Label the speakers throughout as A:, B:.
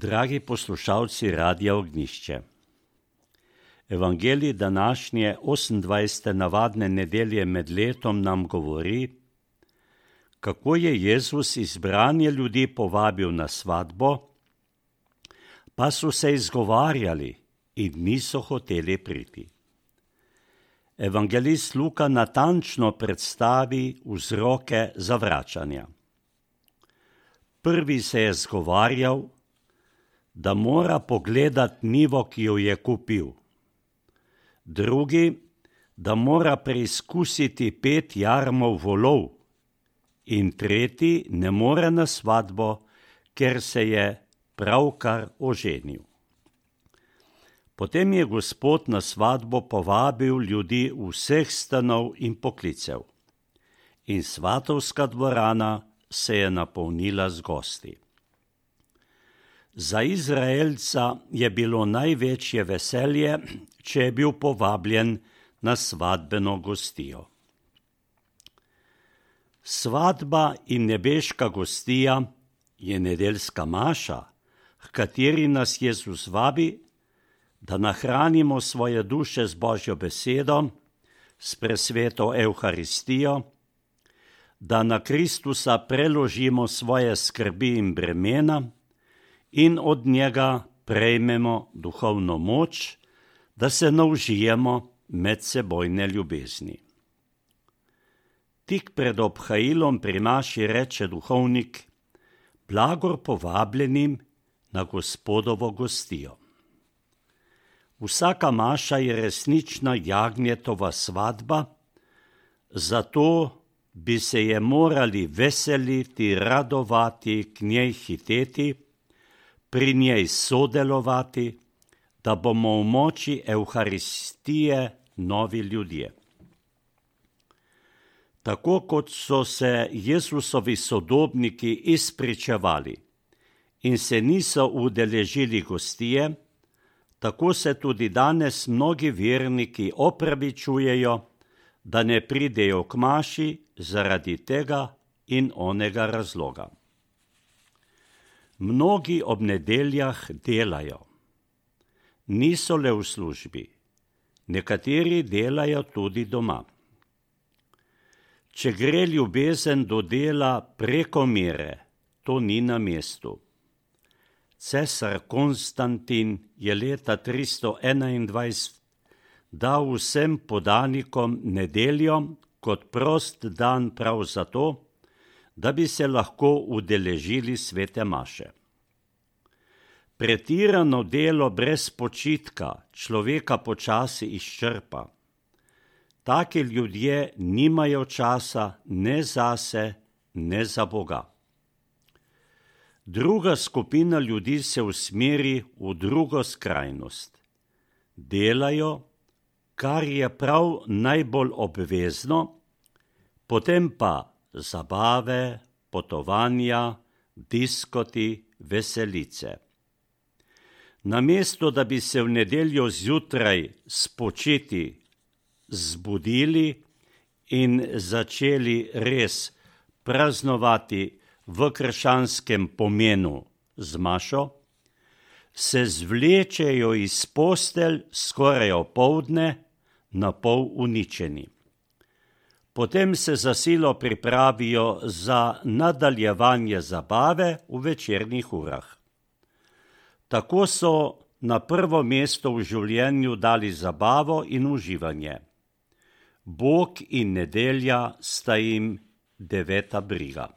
A: Dragi poslušalci Radia Ognjišče, Evangelij današnje 28. navadne nedelje med letom nam govori, kako je Jezus izbranje ljudi povabil na svatbo, pa so se izgovarjali in niso hoteli priti. Evangelist Luka natančno predstavi vzroke zavračanja. Prvi se je zgovarjal, da mora pogledati njivo, ki jo je kupil. Drugi, da mora preizkusiti 5 jarmov volov. In tretji, ne more na svatbo, ker se je pravkar oženil. Potem je Gospod na svatbo povabil ljudi vseh stanov in poklicev. In svatovska dvorana se je napolnila z gosti. Za Izraelca je bilo največje veselje, če je bil povabljen na svatbeno gostijo. Svatba in nebeška gostija je nedeljska maša, h kateri nas Jezus vabi, da nahranimo svoje duše z Božjo besedo, s presveto Evharistijo, da na Kristusa preložimo svoje skrbi in bremena in od njega prejmemo duhovno moč, da se navžijemo medsebojne ljubezni. Tik pred obhajilom pri maši reče duhovnik: blagor povabljenim na Gospodovo gostijo. Vsaka maša je resnična jagnjetova svatba, zato bi se je morali veseliti, radovati, k njej hiteti, pri njej sodelovati, da bomo v moči Evharistije novi ljudje. Tako kot so se Jezusovi sodobniki izpričevali in se niso udeležili gostije, tako se tudi danes mnogi verniki opravičujejo, da ne pridejo k maši zaradi tega in onega razloga. Mnogi ob nedeljah delajo. Niso le v službi, nekateri delajo tudi doma. Če gre ljubezen do dela preko mere, to ni na mestu. Cesar Konstantin je leta 321 dal vsem podanikom nedeljo kot prost dan prav zato, da bi se lahko udeležili svete maše. Pretirano delo brez počitka človeka počasi izčrpa. Taki ljudje nimajo časa ne zase, ne za Boga. Druga skupina ljudi se usmeri v drugo skrajnost. Delajo, kar je prav najbolj obvezno, potem pa zabave, potovanja, diskoti, veselice. Namesto da bi se v nedeljo zjutraj spočiti, zbudili in začeli res praznovati v krščanskem pomenu z mašo, se zvlečejo iz postelj skoraj opoldne, na pol uničeni. Potem se za silo pripravijo za nadaljevanje zabave v večernih urah. Tako so na prvo mesto v življenju dali zabavo in uživanje. Bog in nedelja sta jim 9. briga.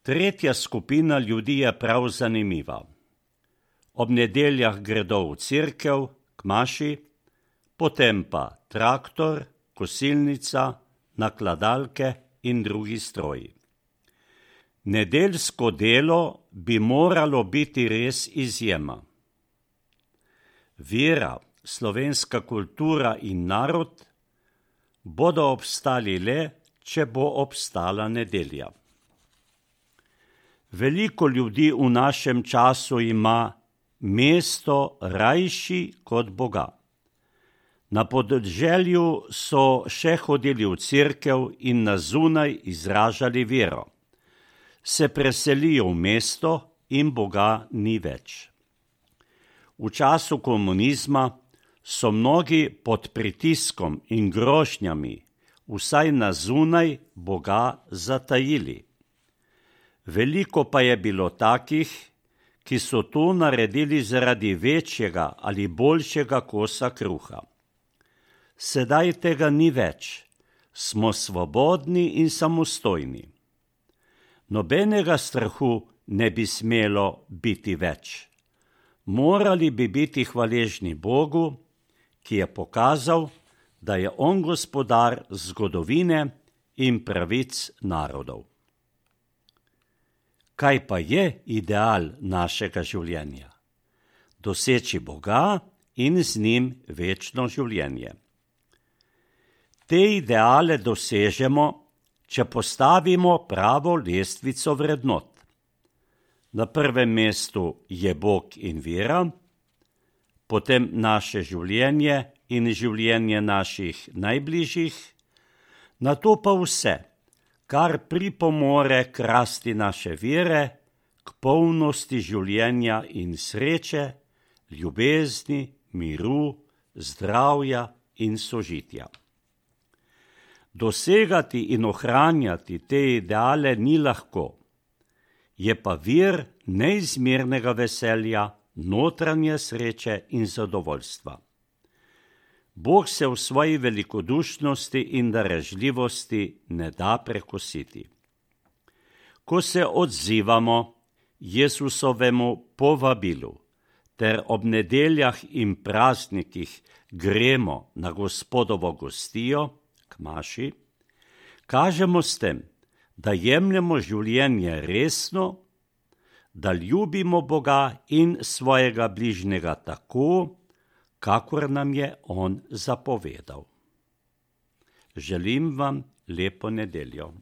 A: Tretja skupina ljudi je prav zanimiva. Ob nedeljah gredo v cerkev, k maši, potem pa traktor, kosilnica, nakladalke in drugi stroji. Nedeljsko delo bi moralo biti res izjema. Vera, slovenska kultura in narod bodo obstali le, če bo obstala nedelja. Veliko ljudi v našem času ima mesto rajši kot Boga. Na podeželju so še hodili v cerkev in na zunaj izražali vero. Se preselijo v mesto in Boga ni več. V času komunizma so mnogi pod pritiskom in grožnjami vsaj na zunaj Boga zatajili. Veliko pa je bilo takih, ki so to naredili zaradi večjega ali boljšega kosa kruha. Sedaj tega ni več, smo svobodni in samostojni. Nobenega strahu ne bi smelo biti več. Morali bi biti hvaležni Bogu, ki je pokazal, da je on gospodar zgodovine in pravic narodov. Kaj pa je ideal našega življenja? Doseči Boga in z njim večno življenje. Te ideale dosežemo, če postavimo pravo lestvico vrednot. Na prvem mestu je Bog in vera, potem naše življenje in življenje naših najbližjih, nato pa vse, kar pripomore k rasti naše vere, k polnosti življenja in sreče, ljubezni, miru, zdravja in sožitja. Dosegati in ohranjati te ideale ni lahko, je pa vir neizmernega veselja, notranje sreče in zadovoljstva. Bog se v svoji velikodušnosti in darežljivosti ne da prekositi. Ko se odzivamo Jesusovemu povabilu ter ob nedeljah in praznikih gremo na Gospodovo gostijo, k maši, kažemo s tem, da jemljemo življenje resno, da ljubimo Boga in svojega bližnjega tako, kakor nam je on zapovedal. Želim vam lepo nedeljo.